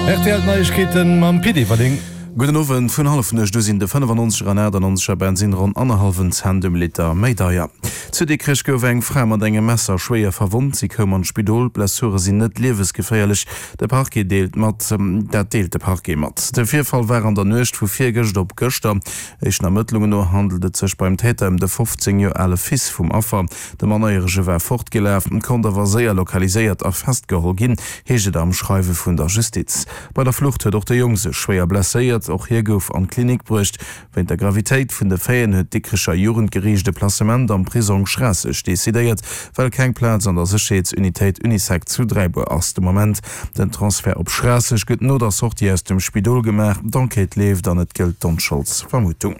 Rtl Neiegkeeten mam Pit Everling. Gudden Owend. Vun Hallefnuecht u sinn de 95er an 98er Bensinn ronn annerhallwen Cent um Liter méi deier. Zu Dikrech gouf eng Fra mat engem Messer schwéier verwonnt. Si koum an d'Spidol. D'Blessure sinn net liewesgeféierlech. De Parquet deelt mat. Dat deelt de Parquet mat. De Virfall war an der Nuecht vu virgëscht op gëschter. Éischten Ermëttlungen no handelt et sech beim Täter ëm de 15 Joer ale Fils vum Affer. De Mannerjärege war fortgelaf, konnt awer séier lokaliséiert a festgeholl ginn, heescht et am Schreiwe vun der Justiz. Bei der Flucht huet och de Jong sech schwéier blesséiert, och hie gouf an d'Klinik bruecht. Wéint der Gravitéit vun de Faiten huet d'Dikrecher Jugendgeriicht e Placement am Prisong Schraasseg decidéiert, well keng Plaz an der Sécherheetsunitéit Unisec zu Dräibuer ass de Moment. Den Transfert op Schraasseg gëtt no der Sortie aus dem Spidol gemaach. D'Enquête leeft an et gëllt d'Onscholdsvermutung.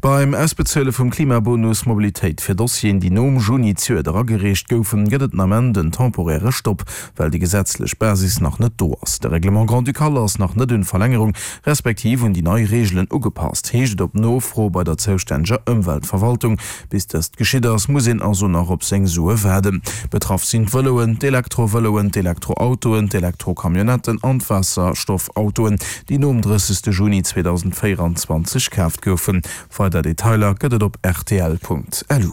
Beim Ausbezuele vum Klimabonus Mobilitéit fir Dossieren, déi nom Juni zejoert eragereecht goufen, gëtt et den Ament en temporäre Stopp, well déi gesetzlech Basis nach net do ass. De Règlement grand-ducal ass nach net un d'Verlängerung, respektiv un déi nei Reegelen ugepasst, heescht et op Nofro bei der zoustänneger Ëmweltverwaltung. Bis dëst geschitt ass, muss een also nach op seng Sue waarden. Betraff sinn d'Vëloen, d'Elektrovëloen, d'Elektroautoen, d'Elektrocamionnetten an d'Waasserstoffautoen, déi nom 30. Juni 2024 kaaft goufen. Weider Detailer gëtt et op rtl.lu.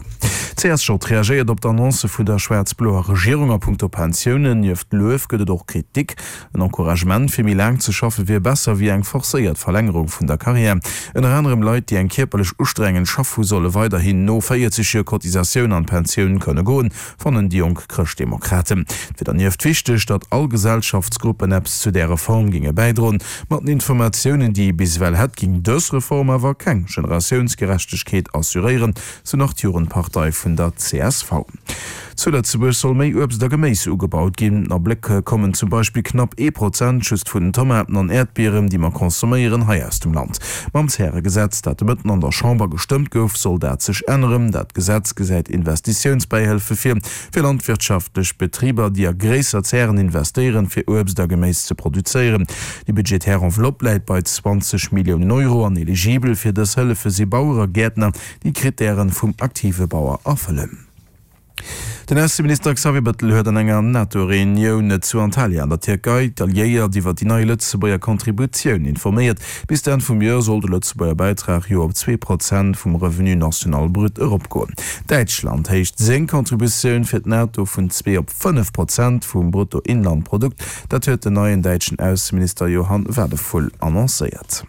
D'CSJ reagéiert op d'Annonce vun der schwaarz-bloer Regierung a punkto Pensiounen. Nieft Luef gëtt et och Kritik. En Encouragement fir méi laang ze schaffe wier besser wéi eng forcéiert Verlängerung vun der Carrière. Ënner anerem Leit, déi eng kierperlech ustrengend Schaff hu solle weiderhin no 40 Joer Cotisatioun an d'Pensioun kënne goen, fannen déi jonk Chrëschtdemokraten. Et wier dernieft wichteg, datt all Gesellschaftsgruppen eppes zu där Reform géinge bäidroen. Mat den Informatiounen, déi ee bis ewell hätt, géing dës Reform awer keng Generatiounsgerechtegkeet assuréieren, sou nach d'Jugendpartei vun der csv. Zu Lëtzebuerg soll méi Uebst a Geméis ugebaut ginn. A Bléck kommen zum Beispill knapp ee Prozent just vun den Tomaten an Äerdbieren, déi mer consomméieren, hei aus dem Land. Mam Zäregesetz, dat de Mëtten an der Chamber gestëmmt gouf, soll dat sech änneren. Dat Gesetz gesäit Investitiounsbäihëlfe vir, fir landwirtschaftlech Betriber, déi a gréisser Zären investéieren, fir Uebst a Geméis ze produzéieren. Déi budgetär Enveloppe läit bei 20 Milliounen Euro an eligibel fir dës Hëllefe si Bauere, Gäertner, déi d'Krittären vum aktive Bauer erfëllen. Den Ausseminister Xavier Bettel huet an enger NATO-Reunioun zu Antalya an der Tierkei d'Alliéiert iwwer déi nei Lëtzebuerger Contributioun informéiert. Bis d'Enn vum Joer soll de Lëtzebuerger Bäitrag jo op 2 Prozent vum Revenu national brut eropgoen. Däitschland héicht seng Contributioun fir d'NATO vun 2 op 5 Prozent vum Bruttoinlandprodukt. Dat huet den neien däitschen Ausseminister Johann Wadephul annoncéiert.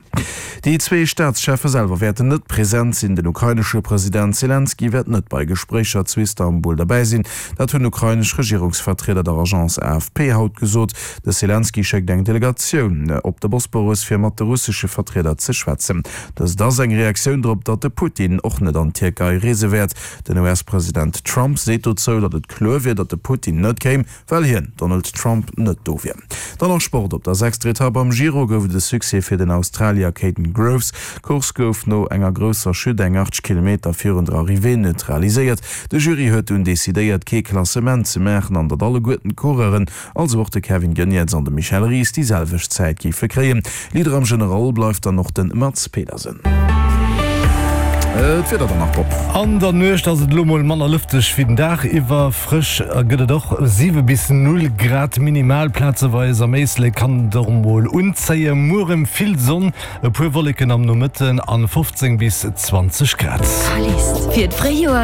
Déi zwee Staatscheffe selwer wäerten net present sinn. Den ukrainesche President Selenskyj wäert net bei Gespréicher zu Istanbul derbäi sinn. Dat hunn ukrainesch Regierungsvertrieder der Agence AFP haut gesot. De Selenskyj schéckt eng Delegatioun op de Bosporus, fir mat de russesche Vertrieder ze schwätzen. Dëst ass eng Reaktioun drop, datt de Putin och net an d'Tierkei reese wäert. Den US-President Trump seet dozou, datt et kloer wier, datt de Putin net kéim, Well hien, Donald Trump, net do wier. Dann nach Sport, Op der sechster Etapp am Giro gouf et e Succès fir den Australier Kaden Groves. D'Course gouf no enger grousser Chute eng 80 Kilometer virun der Arrivée neutraliséiert. De Jury huet dunn decidéiert, kee Klassement ze maachen an datt alleguerten d'Coureuren, also och de Kevin Geniets an de Michel Ries, déi selwecht Zäit géife kréien. Leader am General bleift dann och de Mads Pedersen. D'Wieder dann nach, Bob. An der Nuecht ass et elo mol manner lëfteg wéi den Dag iwwer. Frësch gëtt et och, 7 bis 0 Grad minimal, plazeweis am Éislek kann et och mol unzéien. Muer erëm vill Sonn, e puer Wolleken am Nomëtten an 15 bis 20 Grad. Fir d'Fréijoer.